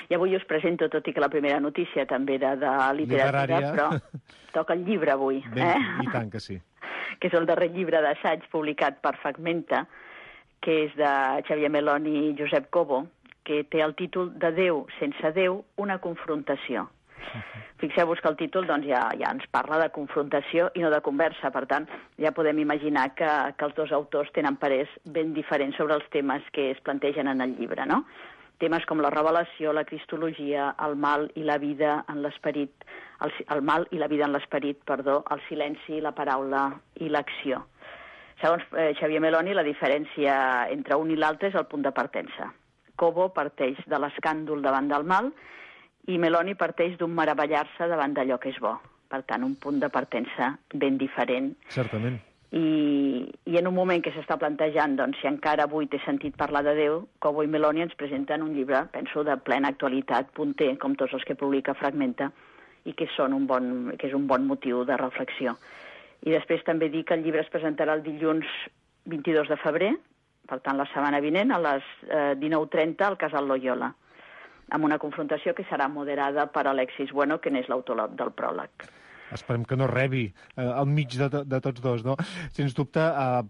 I avui us presento, tot i que la primera notícia també era de literatura, però toca el llibre avui. I tant que sí. Que és el darrer llibre d'assaig publicat per Fragmenta, que és de Xavier Meloni i Josep Cobo, que té el títol de Déu sense Déu, una confrontació. Fixeu-vos que el títol doncs, ja ens parla de confrontació i no de conversa, per tant, ja podem imaginar que els dos autors tenen parers ben diferents sobre els temes que es plantegen en el llibre, no? Temes com la revelació, la cristologia, el mal i la vida en l'esperit, el mal i la vida en l'esperit, el silenci, la paraula i l'acció. Segons Xavier Meloni, la diferència entre un i l'altre és el punt de partença. Cobo parteix de l'escàndol davant del mal i Meloni parteix d'un meravellar-se davant d'allò que és bo. Per tant, un punt de partença ben diferent. Certament. I en un moment que s'està plantejant, doncs, si encara avui té sentit parlar de Déu, Cobo i Meloni ens presenten un llibre, penso, de plena actualitat, punter, com tots els que publica Fragmenta, i que és un bon motiu de reflexió. I després també dir que el llibre es presentarà el dilluns 22 de febrer, per tant, la setmana vinent, a les 19:30 al Casal Loyola, amb una confrontació que serà moderada per Alexis Bueno, que n'és l'autor del pròleg. Esperem que no rebi al mig de tots dos, no? Sens dubte,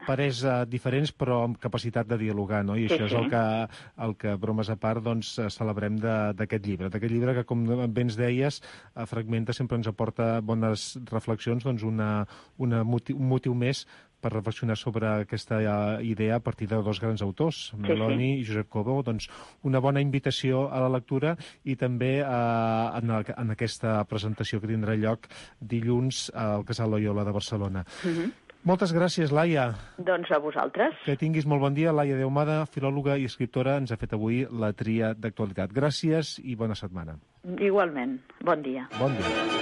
parers diferents, però amb capacitat de dialogar, no? I això és el que, bromes a part, doncs, celebrem d'aquest llibre. D'aquest llibre que, com bé ens deies, Fragmenta sempre ens aporta bones reflexions, doncs un motiu més per reflexionar sobre aquesta idea a partir de dos grans autors, Meloni i Josep Cobo. Doncs una bona invitació a la lectura i també en aquesta presentació que tindrà lloc dilluns al Casal Loyola de Barcelona. Moltes gràcies, Laia. Doncs a vosaltres. Que tinguis molt bon dia. Laia Deumada, filòloga i escriptora, ens ha fet avui la tria d'actualitat. Gràcies i bona setmana. Igualment. Bon dia. Bon dia.